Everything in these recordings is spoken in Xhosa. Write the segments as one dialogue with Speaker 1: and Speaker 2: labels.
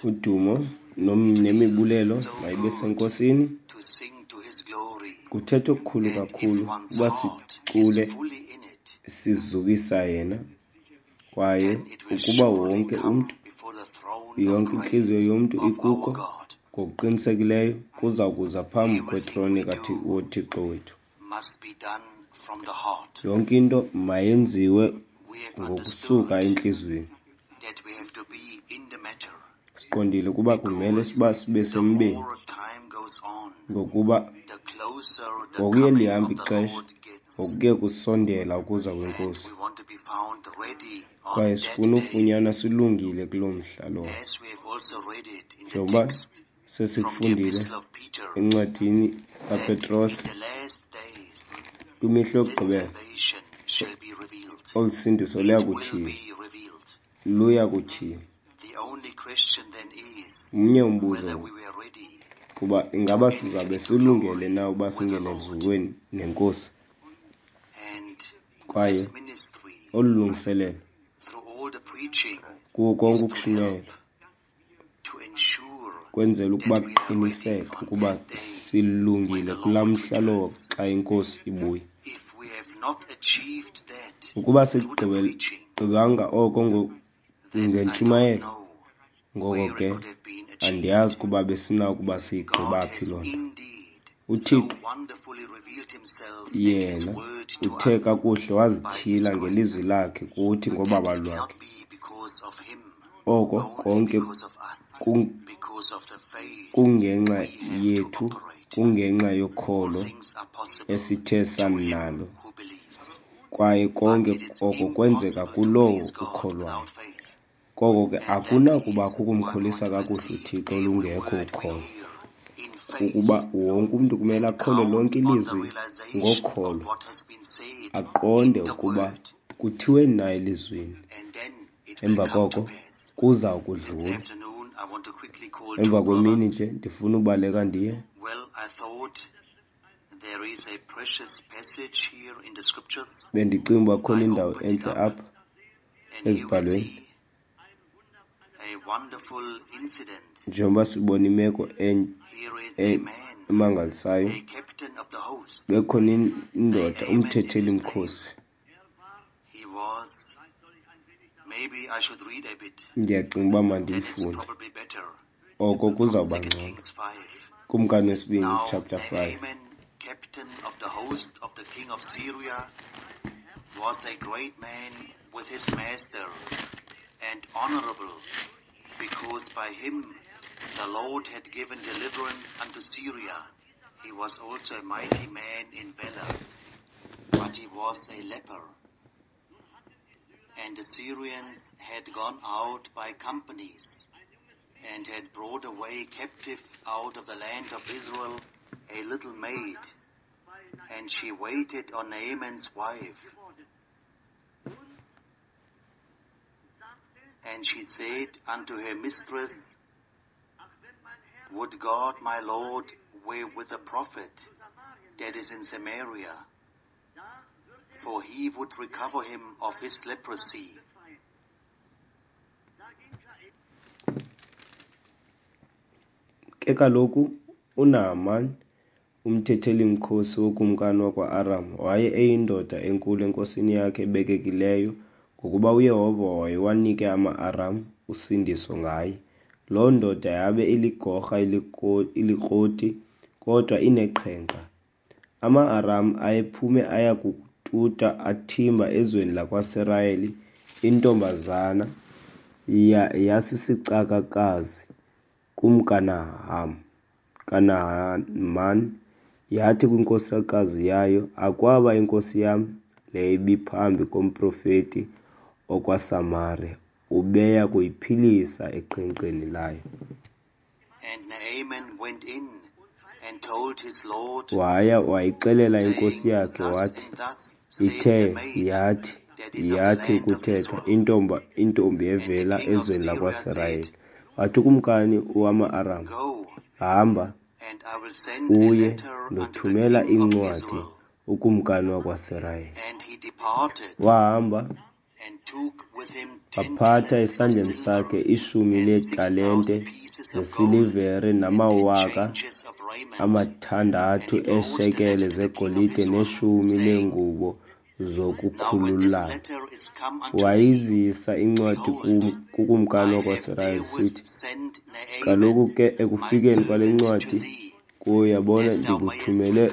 Speaker 1: Udumo nemibulelo mayibe seNkosini. Kuthetha okukhulu kakhulu uba sicule sizukisa yena, kwaye ukuba wonke umntu, yonke intliziyo yomntu ikuko, ngokuqinisekileyo kuza kuza phambi kwetrone woThixo wethu. Yonke into mayenziwe ngokusuka entliziyweni. Siqondile ukuba kumele siba sibe sembeni, ngokuba ngokuye lihamba ixesha, ngokuye kusondela ukuza kweNkosi, kwaye sifuna ufunyanwa silungile kuloo mhla lowo. Njengoba sesikufundile encwadini kaPetros, kwimihla yokugqibela olu sindiso luya kutyhilwa, luya kutyhilwa. Mnye umbuzo kuba ingaba sizabe silungele na uba singene eluzukweni neNkosi? Kwaye olu lungiselelo kuwo konke ukushunyayelwa kwenzela ukuba kuqiniseke ukuba silungile kulaa mhla lowo xa iNkosi ibuya. Ukuba sikugqibanga oko ngentshumayelo, ngoko ke andiyazi ukuba besinakuba siyigqiba phi loo nto. UThixo yena uthe kakuhle wazityhila ngelizwi lakhe kuthi ngobabalo lwakhe. Oko konke kungenxa yethu, kungenxa yokholo esithe sanalo, kwaye konke oko kwenzeka kulowo ukholwayo. Koko ke akunakubakho ukumkholisa kakuhle uThixo lungekho ukholo, kukuba wonke umntu kumele akholwe lonke ilizwi ngokholo, aqonde ukuba kuthiweni na elizwini. Emva koko kuza kudlula. Emva kwemini nje ndifuna ubaleka ndiye. Bendicinga uba khona indawo entle apha ezibhalweni, njengoba sibona imeko emangalisayo. Bekhona indoda, umthetheli mkhosi. Ndiyacinga uba mandiyifunde, oko kuzawuba ngcono. Kumkani wesibini chapter 5.
Speaker 2: Captain of the host of the king of Syria was a great man with his master and honorable, because by him the Lord had given deliverance unto Syria. He was also a mighty man in valor, but he was a leper. And the Syrians had gone out by companies and had brought away captive out of the land of Israel a little maid, and she waited on Naaman's wife. And she said unto her mistress, Would God my Lord were with the prophet that is in Samaria, for he would recover him of his leprosy.
Speaker 1: Ke kaloku uNahaman umthetheli-mkhosi wokumkani wakwa-Aram waye eyindoda enkulu enkosini yakhe ebekekileyo, ngokuba uYehova wayewanike ama-Aram usindiso ngaye. Loo ndoda yabe iligorha ilikroti, kodwa ineqhenqa. Ama-Aram ayephume aya kututa athimba ezweni lakwaSirayeli intombazana yasisicakakazi kumkaNahaman, yathi kwinkosikazi yayo, Akwaba inkosi yam le ibiphambi komprofeti okwaSamariya, ubeya kuyiphilisa eqhenqeni layo.
Speaker 2: And Naaman went in and told his lord,
Speaker 1: Waya wayixelela inkosi
Speaker 2: saying,
Speaker 1: yakhe,
Speaker 2: Thus
Speaker 1: wathi,
Speaker 2: and thus saith
Speaker 1: Ithe
Speaker 2: the maid
Speaker 1: yathi
Speaker 2: that is of the
Speaker 1: yathi
Speaker 2: land of
Speaker 1: ukuthetha
Speaker 2: Israel.
Speaker 1: intombi
Speaker 2: And the
Speaker 1: evela
Speaker 2: king of
Speaker 1: ezweni
Speaker 2: Syria
Speaker 1: lakwaSirayeli.
Speaker 2: said,
Speaker 1: Wathi ukumkani wama-Aram,
Speaker 2: Go,
Speaker 1: Hamba
Speaker 2: and I will send a
Speaker 1: uye,
Speaker 2: letter unto the
Speaker 1: ndothumela
Speaker 2: king of
Speaker 1: incwadi
Speaker 2: Israel.
Speaker 1: ukumkani wakwaSirayeli.
Speaker 2: And he departed
Speaker 1: Wahamba Waphatha esandleni sakhe 10 leetalente zesilivere nama 6,000 eeshekele zegolide neshumi leengubo zokukhululana. Wayizisa incwadi kukumkani wakwaSirayeli, esithi, Kaloku ke ekufikeni kwale ncwadi kuwe, yabona, ndikuthumele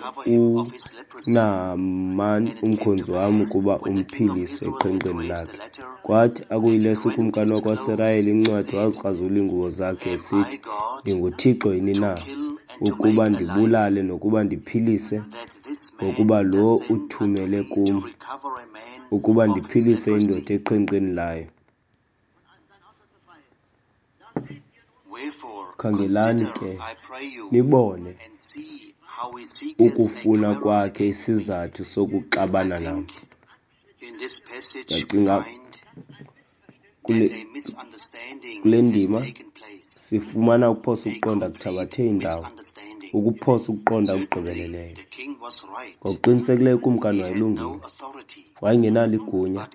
Speaker 1: uNahaman umkhonzi wam ukuba umphilise eqhenqeni lakhe. Kwathi akuyilesa ukumkani wakwaSirayeli incwadi, wazikrazula iingubo zakhe, esithi, NdinguThixo yini na, ukuba ndibulale nokuba ndiphilise? Ngokuba lo uthumele kum, ukuba ndiphilise indoda eqhenqeni layo. Khangelani ke, nibone ukufuna kwakhe isizathu sokuxabana nam. Ndacinga kule ndima sifumana ukuphosa ukuqonda kuthabathe indawo, ukuphosa ukuqonda okugqibeleleyo. Ngokuqinisekileyo ukumkani wayelungile, wayengenalo igunya,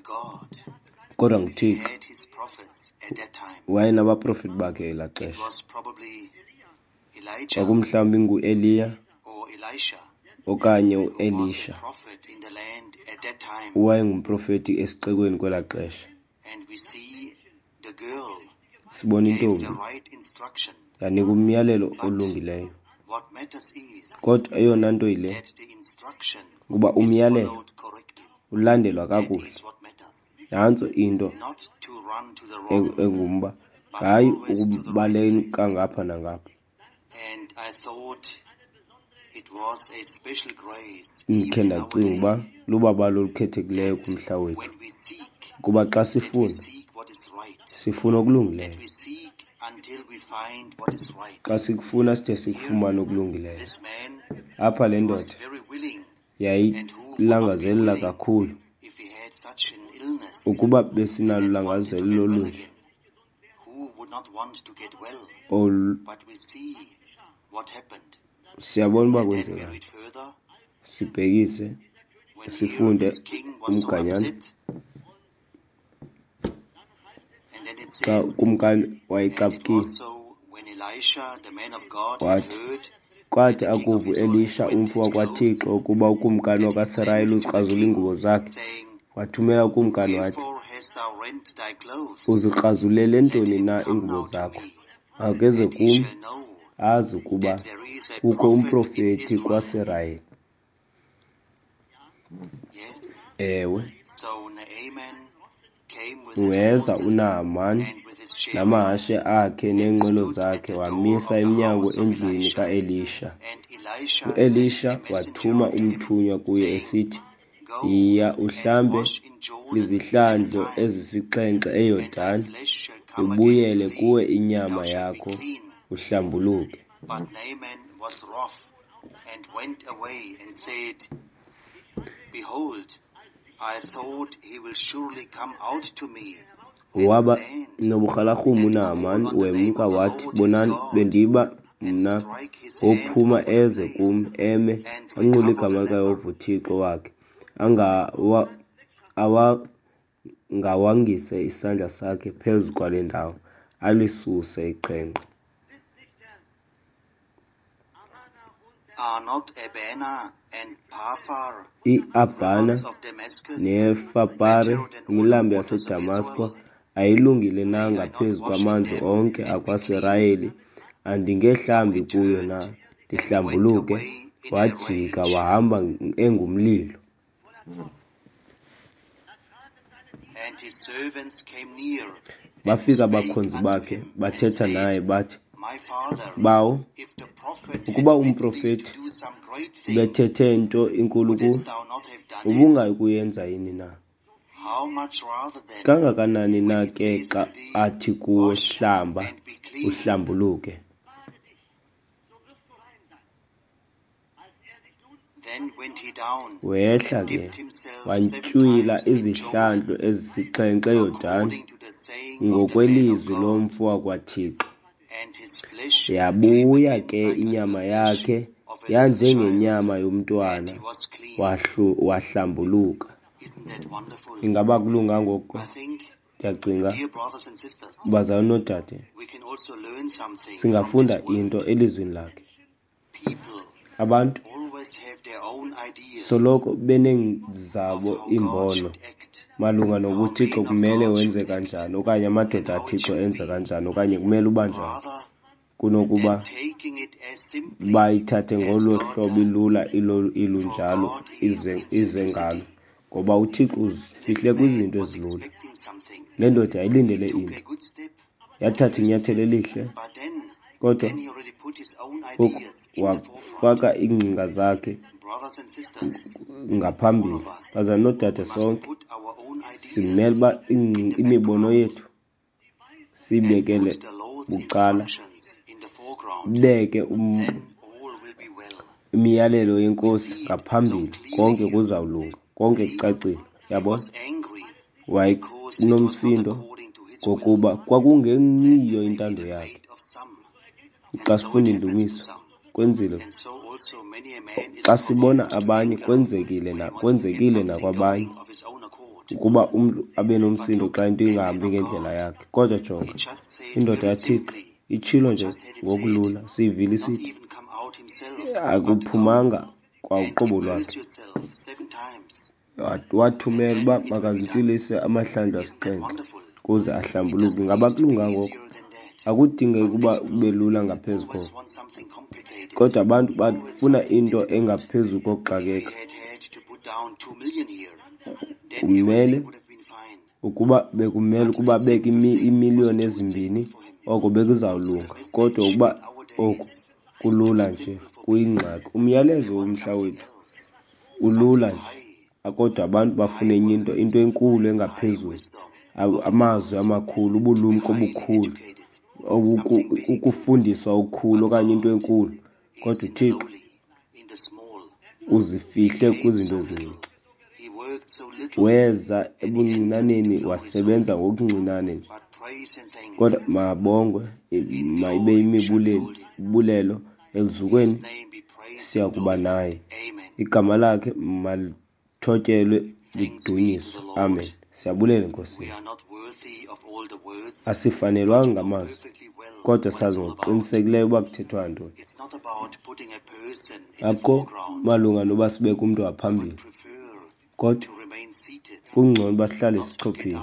Speaker 1: kodwa nguThixo wayenabaprofeti bakhe elaa xesha. Kwakumhlawumbi nguEliya okanye uElisha owayengumprofeti esixekweni kwelaa xesha. Sibona intombi yanika umyalelo olungileyo, kodwa eyona nto yile ukuba umyalelo ulandelwa kakuhle. Nantso into engumba, hayi ukubaleka ngapha nangapha. Ndikhe ndacinga uba lubabalo olukhethekileyo kumhla wethu, ukuba xa sifuna, sifuna okulungileyo. Xa sikufuna side sikufumane okulungileyo. Apha le ndoda yayilangazelela kakhulu. Ukuba besinalo ulangazelelo olunje siyabona uba kwenzekani. Sibhekise sifunde umganyana xa ukumkani wayecaphukile, wathi, kwathi akuva uElisha umfo wakwaThixo ukuba ukumkani wakwaSirayeli uzikrazula iingubo zakhe, wathumela ukumkani wathi, Uzikrazulele ntoni na iingubo zakho? Makeze kum, azi ukuba kukho umprofeti kwaSirayeli. Ewe. Weza uNahaman namahashe akhe neenqwelo zakhe, wamisa emnyango endlwini kaElisha. UElisha wathuma umthunywa kuye, esithi, Yiya uhlambe izihlandlo ezisixhenxe eYordan, ibuyele kuwe inyama yakho, uhlambuluke. Waba noburhalarhume uNahaman, wemka wathi, Bonani, bendiba mna wophuma eze kum, eme, anqule igama likaYehova uThixo wakhe, awangawangise isandla sakhe phezu kwale ndawo, alisuse iqhenqa. IAbhana neFarpare, imilambo yaseDamasko, ayilungile na ngaphezu kwamanzi onke akwaSirayeli? Andingehlambi kuyo na, ndihlambuluke? Wajika wahamba engumlilo. Bafika abakhonzi bakhe, bathetha naye, bathi, Bawo, ukuba umprofeti ubethethe nto inkulu kuwe, ubungayi kuyenza yini na? Kangakanani na ke xa athi kuwe, Hlamba, uhlambuluke? Wehla ke, wantywila izihlandlo ezisixhenxe eYordan, ngokwelizwi lomfo wakwaThixo. Yabuya ke inyama yakhe yanjengenyama yomntwana, wahlambuluka. Ingaba akulunganga oko? Ndiyacinga, bazalwana noodade, singafunda into elizwini lakhe. Abantu soloko beneezabo iimbono malunga nokuba uThixo kumele wenze kanjani, okanye amadoda aThixo enze kanjani, okanye kumele uba njani, kunokuba bayithathe ngolo hlobo ilula ilunjalo ize ngalo, ngoba uThixo uzifihle kwizinto ezilula. Le ndoda yayilindele into, yathatha inyathelo elihle, kodwa ngoku wafaka iingcinga zakhe ngaphambili. Bazalwana noodade, sonke simele uba imibono yethu siyibekele bucala, sibeke imiyalelo yeNkosi ngaphambili, konke kuzawulunga, konke kucacile. Yabona? Wayenomsindo ngokuba kwakungeyiyo intando yakhe. Xa sifunda iNdumiso, kwenzile. Xa sibona abanye, kwenzekile na, kwenzekile nakwabanye ukuba umntu abe nomsindo xa into ingahambi ngendlela yakhe. Kodwa jonga, indoda yaThixo itshilo nje ngokulula, siyivile isithi akuphumanga kwa uqobo lwakhe. Wathumela uba makazintshulise amahlandlo asixhenxe ukuze ahlambuluke. Ingaba akulunganga oko? Akudingeki ukuba kube lula ngaphezu koko. Kodwa abantu bafuna into engaphezu kokuxakeka. Kumele ukuba bekumele ukuba abeke iimiliyoni ezimbini, oko bekuzawulunga. Kodwa ukuba oku kulula nje kuyingxaki. Umyalezo womhla wethu ulula nje, kodwa abantu bafuna enye into, into enkulu engaphezulu, amazwi amakhulu, ubulumko obukhulu, ukufundiswa okukhulu okanye into enkulu. Kodwa uThixo uzifihle kwizinto ezincinci. Weza ebuncinaneni, wasebenza ngokuncinane nje. Kodwa mabongwe, mayibe imibulelo eluzukweni, siya kuba naye. Igama lakhe malithotyelwe lidunyiswe. Amen. Siyabulela eNkosini. Asifanelwanga ngamazwi, kodwa sazi ngokuqinisekileyo uba kuthethwa ntoni. Akukho malunga noba sibeke umntu ngaphambili, kodwa kungcono uba sihlale sichophile,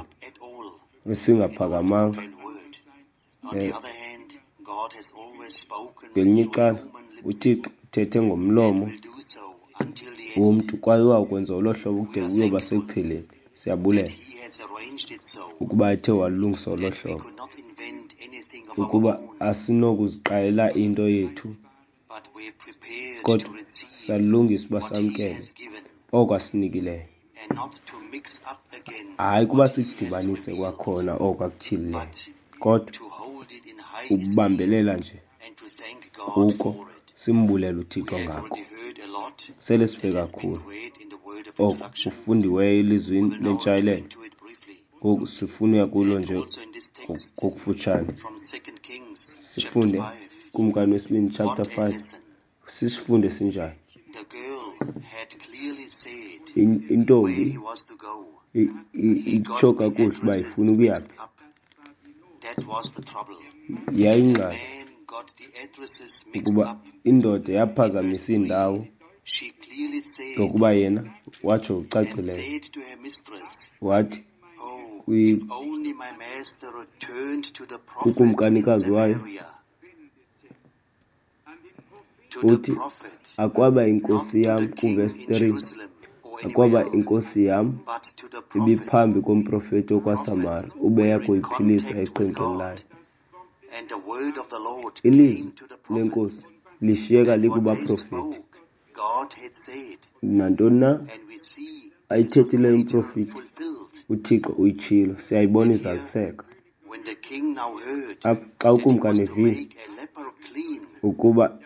Speaker 1: singaphakamanga. Ngelinye icala, uThixo uthethe ngomlomo womntu kwaye uyawukwenza olo hlobo kude kuyoba sekupheleni. Siyabulela ukuba ethe walungisa olo hlobo, ukuba asinokuziqalela into yethu, kodwa salungisa uba samkele oko asinikileyo. Hayi ukuba sikudibanise kwakhona oko akutyhilileyo, kodwa ukubambelela nje kuko, simbulele uThixo ngako. Sele sive kakhulu oko kufundiweyo elizwini lentshayelelo. Ngoku sifuna uya kulo nje ngokufutshane. Sifunde Kumkani wesibini chapter 5. Sisifunde sinjani? Intombi itsho kakuhle uba ifuna ukuya phi. Yayingxaki ukuba indoda yaphazamisa iindawo ngokuba yena watsho ngokucacileyo wathi kukumkanikazi wayo, uthi, akwaba inkosi yam, kuvesi 3, akwaba inkosi yam ibiphambi komprofeti okwaSamari, ubeya kuyiphilisa eqhenqeni layo. Ilizwi leNkosi lishiyeka likubaprofeti. Nantoni na ayithethileyo umprofeti, uThixo uyitshilo, siyayibona izaliseka. Apha xa ukumkani evile ukuba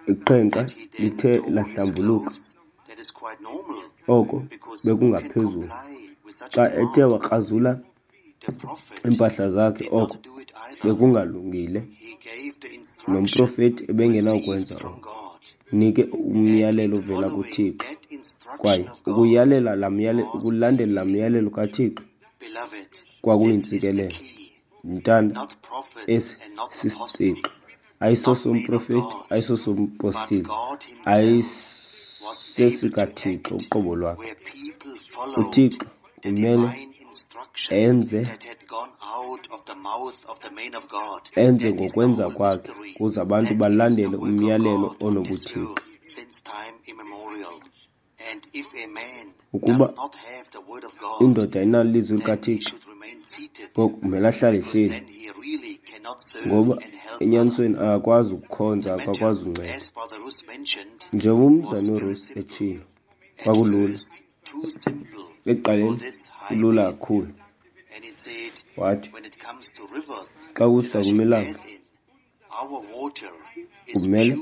Speaker 1: iqhenqa lithe lahlambuluka, oko bekungaphezulu. Xa ethe wakrazula iimpahla zakhe, oko bekungalungile, nomprofeti ebengenawukwenza oko. Nike umyalelo ovela kuThixo. Kwaye ukuyalela laa myalelo, ukulandela laa myalelo kaThixo kwakuyintsikelelo. Ndithanda esi sisitsixo, ayisosomprofeti, ayisosompostile, ayisesikaThixo uqobo lwakhe. UThixo kumele enze ngokwenza kwakhe ukuze abantu balandele umyalelo onobuthixo. Ukuba indoda ayinalo ilizwi likaThixo, ngoku kumele ahlale ehleli, ngoba enyanisweni akakwazi ukukhonza, akakwazi unceda. Njengoba umzalwana uRuth etshilo, kwakulula ekuqaleni, kulula kakhulu. Wathi xa kusa kwimilambo kumele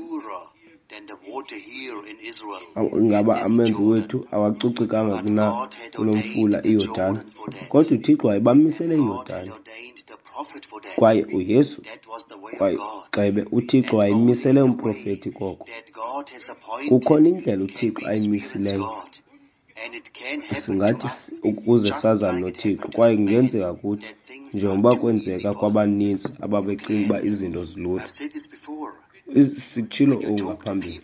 Speaker 1: ingaba amanzi wethu awacocekanga kuna kunomfula iYordani, kodwa uThixo wayebamisele iYordani. Kwaye uYesu, kwaye gxebe, uThixo wayemisele umprofeti koko. Kukhona indlela uThixo ayimisileyo singathi ukuze sazane noThixo, kwaye kungenzeka kuthi njengoba kwenzeka kwabaninzi ababecinga uba izinto zilula. Sitshilo oku ngaphambili,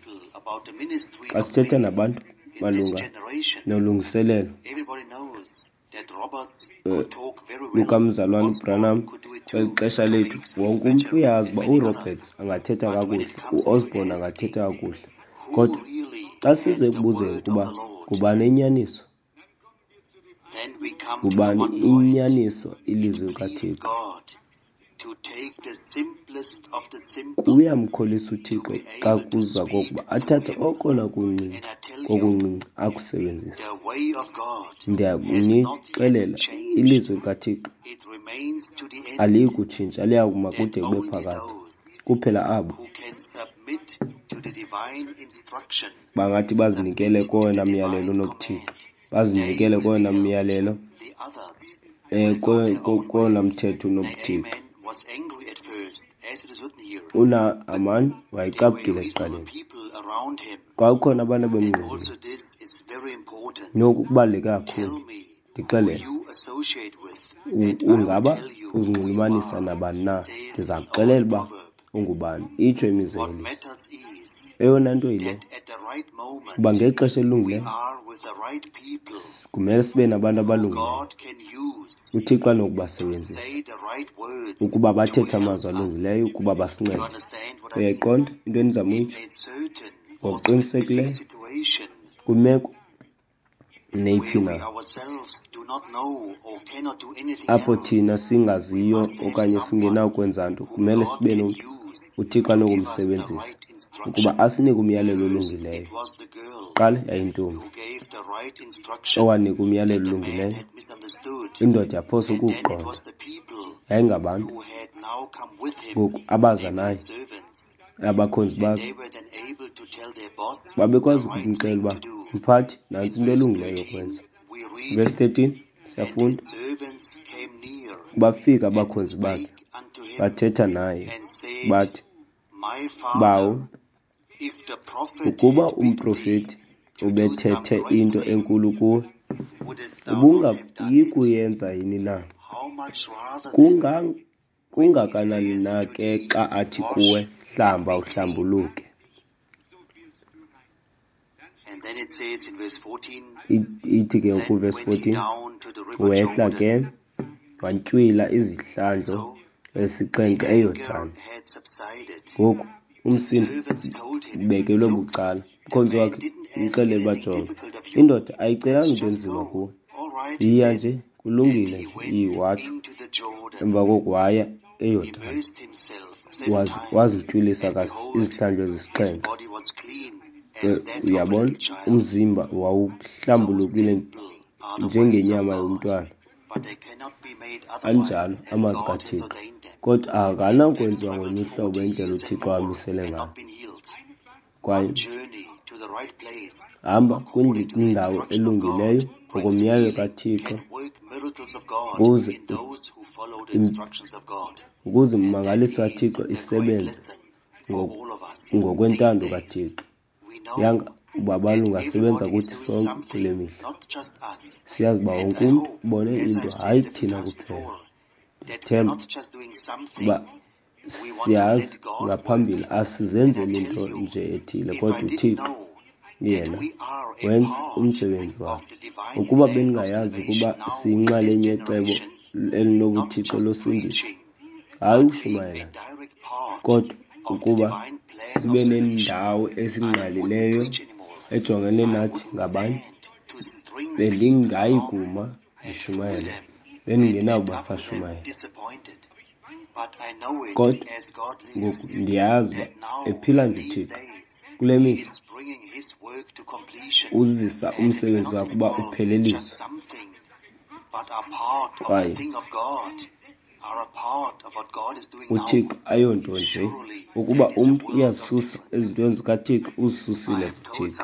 Speaker 1: xa sithetha nabantu malunga nolungiselelo lukamzalwana uBranham kweli xesha lethu, wonke umntu uyazi uba uRoberts angathetha kakuhle, uOsborn angathetha kakuhle, kodwa xa size ekubuzeni ukuba ngubani inyaniso, ngubani inyaniso ilizwi likaThixo, kuyamkholisa uThixo xa kuza kokuba athathe okona kuncinci kokuncinci akusebenzise. Ndiyakunixelela, ilizwi likaThixo aliyi kutshintsha, liya kuma kude kube phakade. Kuphela abo bangathi bazinikele kowona myalelo unobuthixo, bazinikele kowona myalelo, kowona mthetho unobuthixo. UNahaman wayecaphukile ekuqaleni, kwakukhona abantu abemngqongile. Noku kubaluleke kakhulu. Ndixelele, ungaba uzinxulumanisa nabani na, ndiza kuxelela uba ungubani, itsho imizekeliso. Eyona nto yile, uba ngexesha elilungileyo kumele sibe nabantu abalungileyo uThixo anokubasebenzisa ukuba bathethe amazwi alungileyo ukuba basincede. Uyayiqonda into endizama uyitsho? Ngokuqinisekileyo kwimeko neyiphi na apho thina singaziyo okanye singenakwenza nto, kumele sibe nomntu uThixo anokumsebenzisa ukuba asinike umyalelo olungileyo. Kuqala yayintombi owanika umyalelo olungileyo, indoda yaphosa ukuwuqonda. Yayingabantu ngoku abaza naye, abakhonzi bakhe, babekwazi ukumxelela uba mphathi, nantsi into elungileyo yokwenza. Verse 13 siyafunda, bafika abakhonzi bakhe bathetha naye bathi, Bawo, ukuba umprofeti ubethethe into enkulu kuwe, ubungayi kuyenza yini na? Kungakanani na ke xa athi kuwe, hlamba uhlambuluke? Ithi ke kuvesi 14, wehla ke wantywila izihlandlo ezisixhenxe eYordani. Ngoku umsindo ubekelwe bucala. Umkhonzi wakhe umxelele uba jonga, indoda ayicelanga into enzima kuwe, yiya nje, kulungile nje, watsho. Emva koko waya eYordani, wazintywilisa izihlandlo ezisixhenxe. Uyabona, umzimba wawuhlambulukile njengenyama yomntwana. Anjalo amazwi kaThixo, kodwa akanakwenziwa ngolunye uhlobo indlela uThixo amisele ngayo. Kwaye hamba kwindawo elungileyo ngokomyalelo kaThixo ukuze imimangaliso kaThixo isebenze ngokwentando kaThixo. Yanga Ubabalo lungasebenza kuthi sonke kule mihla. Siyazi uba wonke umntu ubone into, hayi thina kuphela. Ndithemba uba siyazi ngaphambili asizenzeli nto nje ethile, kodwa uThixo yena wenza umsebenzi wakhe. Ukuba bendingayazi ukuba siyinxalenye yecebo elinobuthixo losindiso, hayi ukushumayela nje, kodwa ukuba sibe nendawo esingqalileyo ejongene nathi ngabanye, bendingayi kuma ndishumayele, bendingenakuba sashumayela. Kodwa ngoku ndiyazi uba ephila nje uThixo kule mihla uzisa umsebenzi wakhe uba upheleliswe. Kwaye uThixo ayonto nje ukuba umntu uyazisusa ezintweni zikaThixo, uzisusile kuThixo.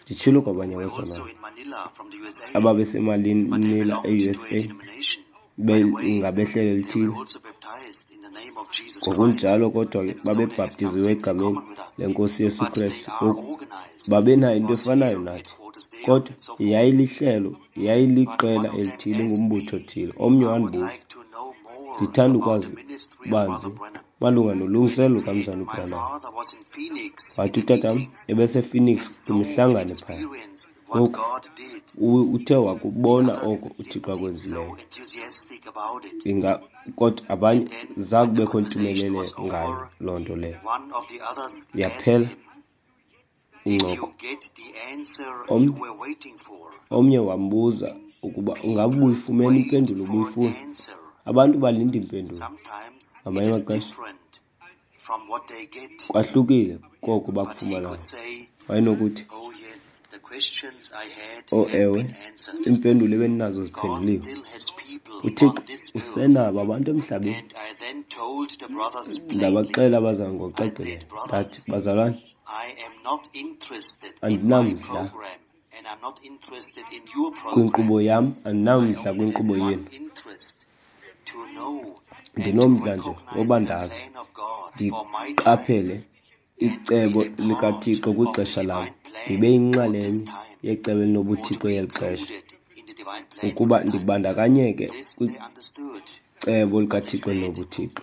Speaker 1: Nditshilo kwabanye abazalwana ababeseManila e-USA, ngabehlelo elithile. Ngokunjalo kodwa ke babebhaptiziwe egameni leNkosi Yesu Kristu. Ngoku babenayo into efanayo nathi, kodwa yayilihlelo, yayiliqela elithile, ingumbutho othile. Omnye wandibuza, ndithanda ukwazi banzi malunga nolungiselelo lukaMzalwana uBranham. Wathi utatam ebesePhoenix kwimihlangano phaya. Ngoku uthe wakubona oko uThixo akwenzileyo. Inga kodwa abanye zakubekho ntumelelo ngayo loo nto leyo. Yaphela incoko. Omnye wambuza ukuba ungaba ubuyifumene impendulo ubuyifuna. Abantu balinda impendulo. Ngamanye amaxesha kwahlukile koko bakufumanayo. Wayenokuthi, Oh ewe, iimpendulo ebendinazo ziphenduliwe. UThixo usenabo abantu emhlabeni. Ndabaxelela abazalwana ngokucacileyo, ndathi, Bazalwane, andinamdla kwinkqubo yam, andinamdla kwinkqubo yenu. Ndinomdla nje woba ndazi, ndiqaphele icebo likaThixo kwixesha lam, ndibe yinxalenye yecebo elinobuthixo yeli xesha, ukuba ndibandakanyeke kwicebo likaThixo elinobuthixo.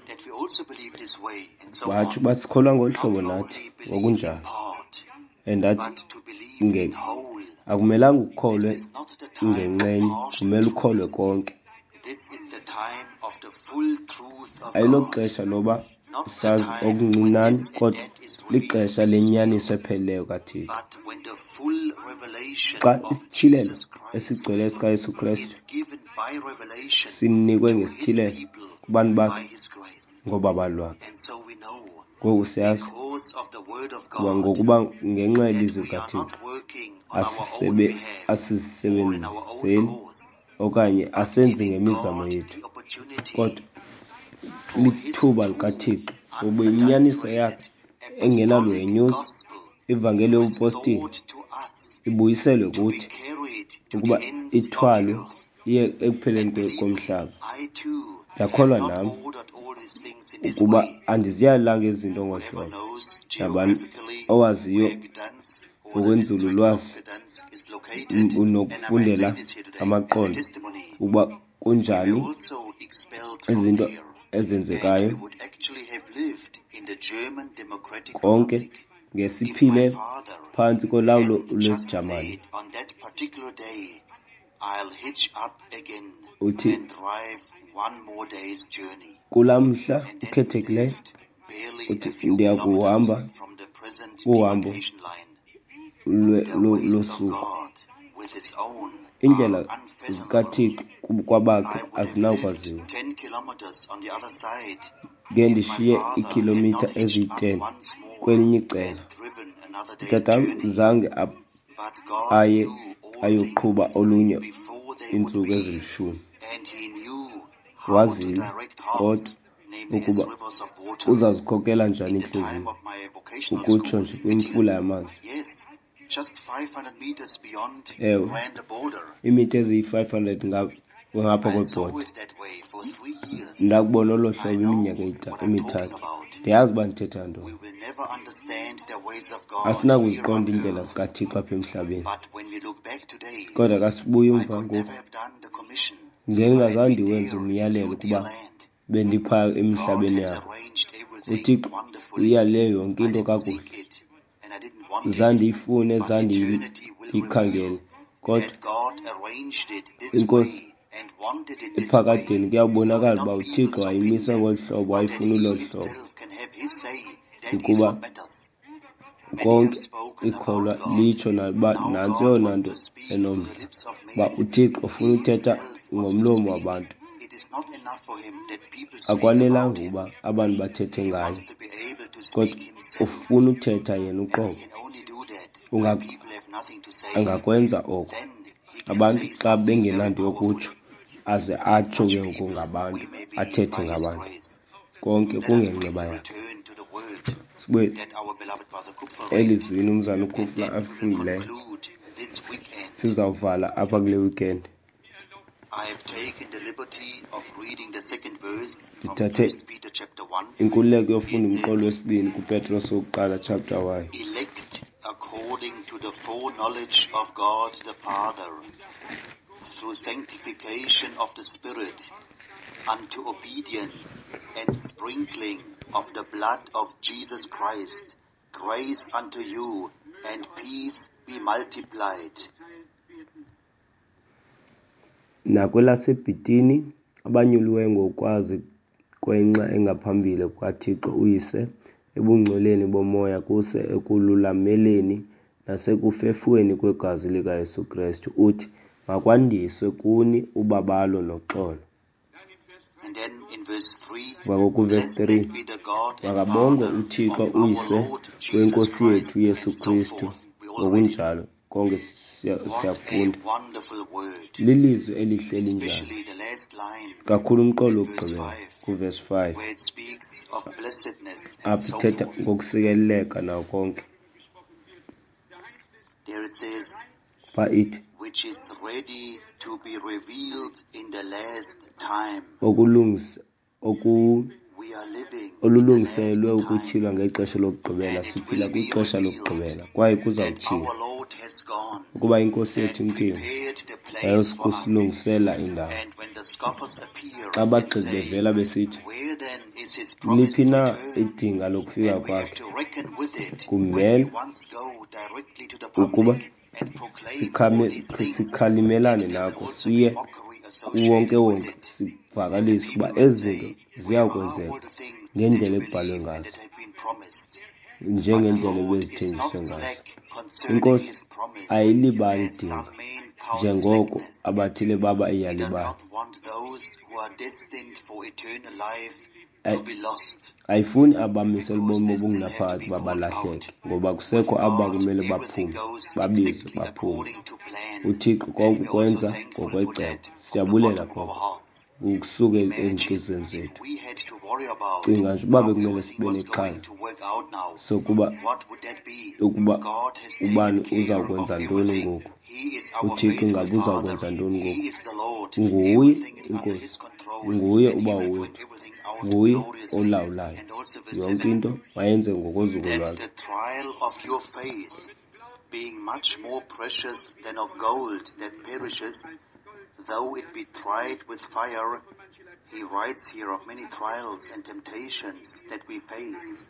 Speaker 1: Batsho uba sikholwa ngolu hlobo nathi ngokunjalo. And ndathi, akumelanga ukholwe ngenxenye, kumele ukholwe konke. Ayiloxesha loba sazi okuncinane, kodwa lixesha lenyaniso epheleleyo kaThixo. Xa isityhilelo esigcweleyo sikaYesu Kristu sinikwe ngesityhilelo kubantu bakhe ngobabalo lwakhe. Ngoku siyazi kuba ngokuba ngenxa yelizwi likaThixo asizisebenzeli okanye asenzi ngemizamo yethu, kodwa lithuba likaThixo ukuba inyaniso yakhe engenaluhenyuzo, ivangeli yobupostile, ibuyiselwe kuthi ukuba ithwalwe iye ekupheleni komhlaba. Ndiyakholwa nam ukuba andiziyalanga ezi zinto ngolu hlobo. Nabani owaziyo ngokwenzululwazi unokufundela amaqondo ukuba kunjani izinto ezenzekayo konke ngesiphile phantsi kolawulo lwesiJamani. Uthi kulaa mhla ukhethekileyo, uthi ndiya kuhamba uhambo losuku. Iindlela zikaThixo kwabakhe azinakwaziwa. Ngendishiye iikhilomitha eziyi-10 kwelinye icala. Utatam zange aye ayoqhuba olunye iintsuku ezilishumi. Wazile kodwa ukuba uzazikhokela njani iintliziyo, ukutsho nje kwimfula yamanzi. Ewe, iimitha eziyi-500 ngapha kwebhoda. Ndakubona olo hlobo iminyaka emithathu. Ndiyazi uba ndithetha ntoni. Asinakuziqonda iindlela zikaThixo apha emhlabeni, kodwa xa sibuya umva ngoku, ngendingazange ndiwenze umyalelo ukuba bendipha emhlabeni yabo. UThixo uyale yonke into kakuhle. Zandiyifune, zandiyikhangele, kodwa iNkosi ephakadeni kuyabonakala uba uThixo wayimisa ngolu hlobo, wayifuna olo hlobo, ukuba konke ikholwa litsho naluba nantsi eyona nto enomdla, uba uThixo ufuna uthetha ngomlomo wabantu. Akwanelanga ukuba abantu bathethe ngaye, kodwa ufuna uthetha yena uqobo. Angakwenza oko abantu xa bengenanto yokutsho, aze atsho ke ngoku ngabantu, athethe ngabantu. Konke kungenceba yakhe. Sibuye elizwini umzana uKufla alifundileyo. Sizawuvala apha kule weekend. Ndithathe inkululeko yofunda umqolo wesibini kuPetros wokuqala chapter 1.
Speaker 2: Elect according to the foreknowledge of God the Father, through sanctification of the Spirit, unto obedience and sprinkling of the blood of Jesus Christ, grace unto you and peace be multiplied.
Speaker 1: NakwelaseBhitini, abanyuliweyo ngokwazi kwenxa engaphambili kukaThixo uYise, ebungcweleni bomoya kuse ekululameleni nasekufefweni kwegazi likaYesu Krestu, uthi, makwandiswe kuni ubabalo noxolo.
Speaker 2: And then in verse 3,
Speaker 1: Kwakuvesi 3,
Speaker 2: blessed be the God and
Speaker 1: makabongwe
Speaker 2: Father
Speaker 1: uThixo
Speaker 2: of our
Speaker 1: uYise
Speaker 2: Lord Jesus
Speaker 1: weNkosi
Speaker 2: Christ,
Speaker 1: yethu Yesu
Speaker 2: and so
Speaker 1: Kristu.
Speaker 2: forth. We already
Speaker 1: Ngokunjalo konke
Speaker 2: What a
Speaker 1: siyafunda.
Speaker 2: wonderful word.
Speaker 1: Lilizwi elihle elinjani,
Speaker 2: Especially the last line
Speaker 1: kakhulu umqolo
Speaker 2: in verse
Speaker 1: wokugqibela
Speaker 2: 5,
Speaker 1: kuvesi 5,
Speaker 2: where it speaks of blessedness and
Speaker 1: apho
Speaker 2: so
Speaker 1: ithetha
Speaker 2: forth.
Speaker 1: ngokusikeleleka nawo konke.
Speaker 2: There it says,
Speaker 1: Pha ithi
Speaker 2: which is ready to be revealed in the last time. We are living in the
Speaker 1: olulungiselelwe
Speaker 2: last time.
Speaker 1: ukutyhilwa ngexesha lokugqibela.
Speaker 2: And it
Speaker 1: Siphila
Speaker 2: will be
Speaker 1: kwixesha
Speaker 2: revealed
Speaker 1: lokugqibela kwaye
Speaker 2: that
Speaker 1: kuzawutyhilwa
Speaker 2: our Lord has gone
Speaker 1: ukuba iNkosi yethu
Speaker 2: and
Speaker 1: imkile
Speaker 2: prepared the place for us.
Speaker 1: yayosikusilungisela indawo.
Speaker 2: And when the scoffers appear
Speaker 1: Xa
Speaker 2: and
Speaker 1: abagxeki
Speaker 2: say,
Speaker 1: bevela besithi,
Speaker 2: where then is his promised
Speaker 1: liphi na
Speaker 2: return?
Speaker 1: idinga lokufika
Speaker 2: And we have
Speaker 1: kwakhe,
Speaker 2: to reckon with it when we
Speaker 1: kumele
Speaker 2: once go directly to the
Speaker 1: ukuba
Speaker 2: public and proclaim all these things, that
Speaker 1: sikhalimelane
Speaker 2: there will
Speaker 1: nako,
Speaker 2: also be
Speaker 1: siye
Speaker 2: mockery associated with
Speaker 1: kuwonke-wonke
Speaker 2: it. And the
Speaker 1: sivakalise
Speaker 2: people
Speaker 1: ukuba
Speaker 2: will
Speaker 1: ezi
Speaker 2: say,
Speaker 1: zinto
Speaker 2: where are
Speaker 1: ziyakwenzeka
Speaker 2: all the things that
Speaker 1: ngendlela
Speaker 2: you
Speaker 1: ekubhalwe
Speaker 2: believe and
Speaker 1: ngazo,
Speaker 2: that have been promised? But the
Speaker 1: njengendlela
Speaker 2: Lord is not
Speaker 1: ebezithenjiswe ngazo.
Speaker 2: slack concerning
Speaker 1: INkosi
Speaker 2: his promise,
Speaker 1: ayilibali
Speaker 2: as
Speaker 1: idinga,
Speaker 2: some men count
Speaker 1: njengoko
Speaker 2: slackness.
Speaker 1: abathile baba
Speaker 2: He does
Speaker 1: iyalibala.
Speaker 2: not want those who are destined for eternal life to be lost,
Speaker 1: Ayifuni abamisela
Speaker 2: because
Speaker 1: ubomi
Speaker 2: they still have to
Speaker 1: obungunaphakade
Speaker 2: be
Speaker 1: uba
Speaker 2: called out.
Speaker 1: balahleke, ngoba
Speaker 2: With
Speaker 1: kusekho abo
Speaker 2: God,
Speaker 1: bakumele
Speaker 2: everything
Speaker 1: baphume,
Speaker 2: goes
Speaker 1: babizwe
Speaker 2: exactly
Speaker 1: baphume.
Speaker 2: according to plan,
Speaker 1: UThixo
Speaker 2: and
Speaker 1: konke
Speaker 2: we're also
Speaker 1: ukwenza
Speaker 2: thankful for
Speaker 1: ngokwecebo.
Speaker 2: that from the
Speaker 1: Siyabulela
Speaker 2: bottom of our
Speaker 1: koko
Speaker 2: hearts.
Speaker 1: ukusuka
Speaker 2: Imagine
Speaker 1: ezintliziyweni
Speaker 2: if
Speaker 1: zethu.
Speaker 2: we had to worry about
Speaker 1: Cinga nje uba
Speaker 2: how
Speaker 1: bekumele
Speaker 2: everything
Speaker 1: sibe
Speaker 2: was
Speaker 1: nexhala
Speaker 2: going to work out now.
Speaker 1: sokuba
Speaker 2: What would that be?
Speaker 1: ukuba
Speaker 2: God has taken
Speaker 1: ubani
Speaker 2: care
Speaker 1: uza
Speaker 2: of
Speaker 1: kwenza ntoni
Speaker 2: everything.
Speaker 1: ngoku,
Speaker 2: He is our
Speaker 1: uThixo
Speaker 2: faithful
Speaker 1: ingaba uza
Speaker 2: Father.
Speaker 1: kwenza ntoni
Speaker 2: He
Speaker 1: ngoku.
Speaker 2: is the Lord.
Speaker 1: Nguye
Speaker 2: Everything is under
Speaker 1: iNkosi,
Speaker 2: His control,
Speaker 1: nguye
Speaker 2: and He
Speaker 1: uBawo
Speaker 2: will bring
Speaker 1: wethu,
Speaker 2: everything out
Speaker 1: nguye
Speaker 2: gloriously.
Speaker 1: olawulayo
Speaker 2: And also verse
Speaker 1: yonke
Speaker 2: 7,
Speaker 1: into, mayenze ngokozuko
Speaker 2: that
Speaker 1: lwakhe.
Speaker 2: the trial of your faith, being much more precious than of gold that perishes, though it be tried with fire. He writes here of many trials and temptations that we face.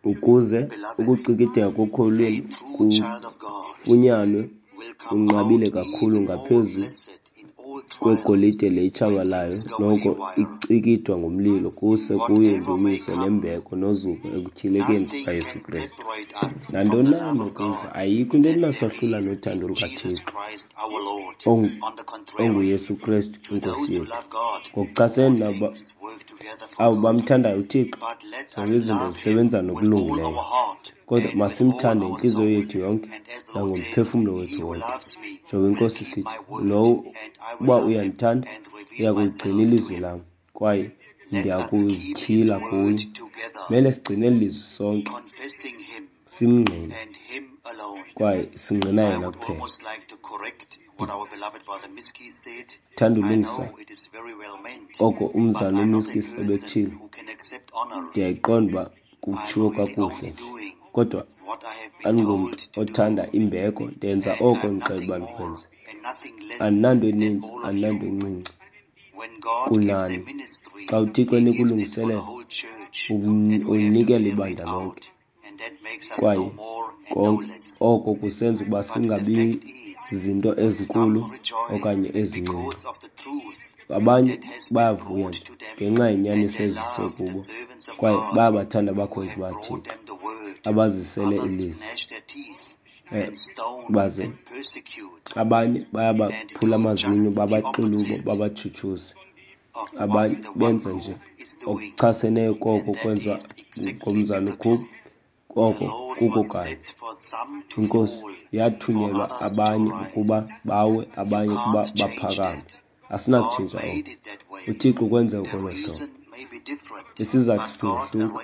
Speaker 1: Ukuze
Speaker 2: Beloved,
Speaker 1: ukucikideka kokholo
Speaker 2: a
Speaker 1: lwenu
Speaker 2: true child of God
Speaker 1: kufunyanwe
Speaker 2: will come
Speaker 1: kunqabile
Speaker 2: out
Speaker 1: kakhulu
Speaker 2: even more
Speaker 1: ngaphezu
Speaker 2: blessed in all trials
Speaker 1: kwegolide le
Speaker 2: when
Speaker 1: itshabalayo,
Speaker 2: things go
Speaker 1: noko
Speaker 2: haywire.
Speaker 1: icikidwa ngomlilo, kuse kuyo
Speaker 2: Whatever may
Speaker 1: indumiso
Speaker 2: come,
Speaker 1: nembeko nozuko ekutyhilekeni
Speaker 2: nothing
Speaker 1: kukaYesu
Speaker 2: can
Speaker 1: Krestu.
Speaker 2: separate us from
Speaker 1: Nantoni
Speaker 2: the
Speaker 1: na
Speaker 2: love of
Speaker 1: enokuza,
Speaker 2: God
Speaker 1: ayikho into
Speaker 2: that there
Speaker 1: etinasahlula
Speaker 2: is
Speaker 1: nothando
Speaker 2: in Jesus
Speaker 1: lukaThixo
Speaker 2: Christ our Lord. On the contrary,
Speaker 1: onguYesu Krestu
Speaker 2: to
Speaker 1: iNkosi
Speaker 2: those who
Speaker 1: yethu.
Speaker 2: love God,
Speaker 1: Ngokuchasene
Speaker 2: all
Speaker 1: nabo
Speaker 2: things work together for
Speaker 1: abo
Speaker 2: good.
Speaker 1: bamthandayo uThixo,
Speaker 2: But let
Speaker 1: zonke
Speaker 2: us
Speaker 1: izinto
Speaker 2: love him
Speaker 1: zisebenza
Speaker 2: with all
Speaker 1: nokulungileyo.
Speaker 2: our heart
Speaker 1: Kodwa
Speaker 2: and with all
Speaker 1: masimthande
Speaker 2: our
Speaker 1: ngentliziyo
Speaker 2: soul.
Speaker 1: yethu yonke
Speaker 2: And as the Lord says,
Speaker 1: nangomphefumlo
Speaker 2: he
Speaker 1: wethu
Speaker 2: who
Speaker 1: wonke.
Speaker 2: loves me
Speaker 1: Njengoba
Speaker 2: will
Speaker 1: iNkosi
Speaker 2: keep
Speaker 1: isithi,
Speaker 2: my word,
Speaker 1: lowo
Speaker 2: and I will
Speaker 1: uba
Speaker 2: love him
Speaker 1: uyandithanda
Speaker 2: and reveal
Speaker 1: uya
Speaker 2: myself
Speaker 1: kuyigcina
Speaker 2: to
Speaker 1: ilizwi
Speaker 2: him.
Speaker 1: lam, kwaye
Speaker 2: Let us keep his
Speaker 1: ndiyakuzityhila
Speaker 2: word
Speaker 1: kuye.
Speaker 2: together,
Speaker 1: Mele sigcine eli lizwi sonke,
Speaker 2: confessing him
Speaker 1: simngqine,
Speaker 2: and him alone.
Speaker 1: kwaye singqina
Speaker 2: I
Speaker 1: yena
Speaker 2: would
Speaker 1: kuphela.
Speaker 2: almost like to correct what our beloved brother Miski said.
Speaker 1: Ndithanda
Speaker 2: I
Speaker 1: ulungisa
Speaker 2: know it is very well meant,
Speaker 1: oko
Speaker 2: but
Speaker 1: umzana
Speaker 2: I'm not a
Speaker 1: uMiskis
Speaker 2: person
Speaker 1: ebetshilo.
Speaker 2: who can accept honor.
Speaker 1: Ndiyayiqonda uba Kutshiwo kakuhle nje. Kodwa andingomntu othanda imbeko, ndenza oko ndixela uba ndikwenze. Andinanto eninzi, andinanto encinci kunani. Xa uThixo enika ulungiselelo, ulinikela ibandla lonke. Kwaye konke oko kusenza ukuba singabi zinto ezinkulu okanye ezincinci. Abanye bayavuya nje ngenxa yenyaniso eziswe kubo, kwaye bayabathanda abakhonzi bakaThixo abazisele ilizwi. Baze abanye bayabaphula amazinyo, babaxulubo, babatshutshuse. Abanye benza nje okuchaseneyo koko kwenziwa ngumzana uKhupha, koko kuko kanye. INkosi yathunyelwa abanye ukuba bawe, abanye ukuba baphakame. Asinakutshintsha oko. UThixo ukwenze ngolo hlobo. Isizathu singahluka,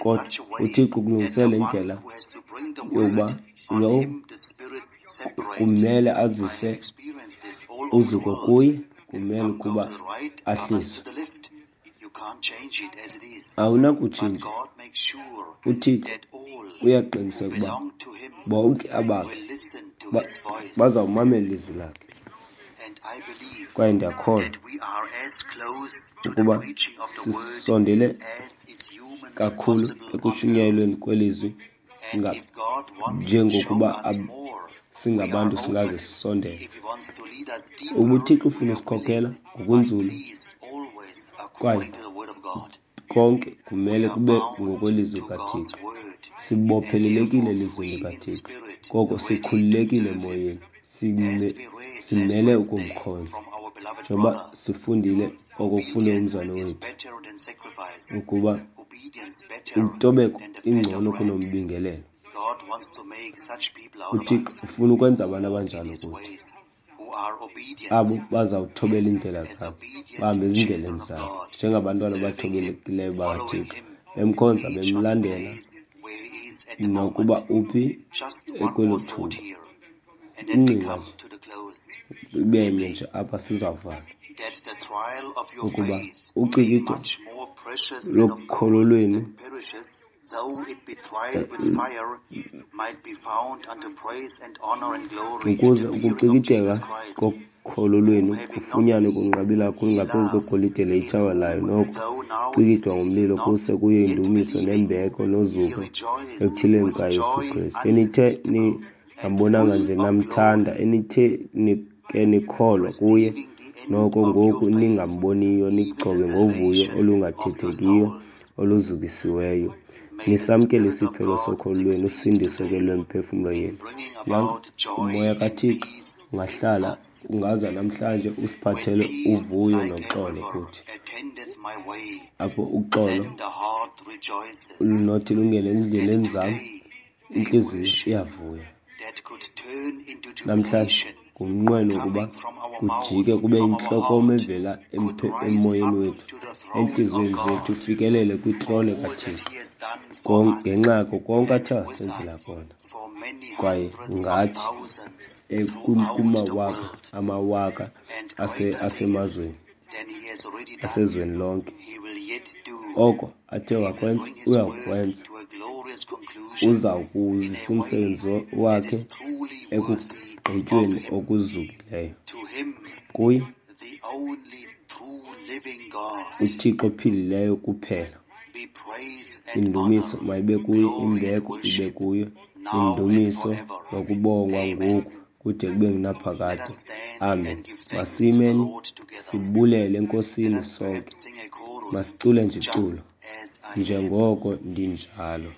Speaker 1: kodwa uThixo ukulungisela indlela yokuba lo kumele azise uzuko kuye, kumele ukuba ahliswe. Awunakutshintsha. UThixo uyaqiniseka ukuba bonke abakhe bazawumamela ilizwi lakhe. Kwaye ndiyakholwa ukuba sisondele kakhulu ekushunyayelweni kwelizwi njengokuba singabantu singaze sisondele. Uba uThixo ufuna usikhokela ngokunzulu, kwaye konke kumele kube ngokwelizwi likaThixo. Sibophelelekile elizwini likaThixo, koko sikhululekile emoyeni, simele ukumkhonza. Njengoba sifundile oko kufundwe ngumzalwane wethu, ukuba intobeko ingcono kunombingelelo. UThixo ufuna ukwenza abantu abanjalo kuthi, abo bazawuthobela iindlela zakhe, bahambe ezindleleni zakhe njengabantwana abathobekileyo bakaThixo, bemkhonza, bemlandela nokuba uphi ekwelo thuba. Ingcinga nje ibe nye nje apha sizawuvala ukuba ucikido lokholo lwenu ukuze ukucikideka kokholo lwenu kufunyanwe kunqabile kakhulu ngaphezu kwegolide le itshabalalayo, noko cikidwa ngomlilo, kuse kuyo indumiso nembeko nozuko ekutyhileni kukaYesu Kristu. Enithe ningambonanga nje namthanda, enithe ke nikholwa kuye, noko ngoku ningamboniyo, nigcobe ngovuyo olungathethekiyo oluzukisiweyo, nisamkele isiphelo sokholo lwenu, usindiso ke lwemiphefumlo yenu. Yanga uMoya kaThixo ungahlala, ungaza namhlanje usiphathele uvuyo noxolo kuthi, apho uxolo lunothi lungene ezindleleni zam, intliziyo iyavuya. Namhlanje ngumnqweno wokuba kujike kube yintlokomo evela emoyeni wethu, entliziyweni zethu, ifikelele kwitrone kaThixo ngenxa yako konke athe wasenzela kona. Kwaye ngathi kumawaka amawaka asemazweni, asezweni lonke, oko athe wakwenza uyawukwenza. Uza kuwuzisa umsebenzi wakhe ekugqityweni okuzukileyo. Kuye uThixo ophilileyo kuphela, indumiso mayibe kuye, imbeko ibe kuye, indumiso nokubongwa ngoku kude kube ngunaphakade. Amen. Masimeni sibulele eNkosini sonke. Masicule nje iculo, njengoko ndinjalo.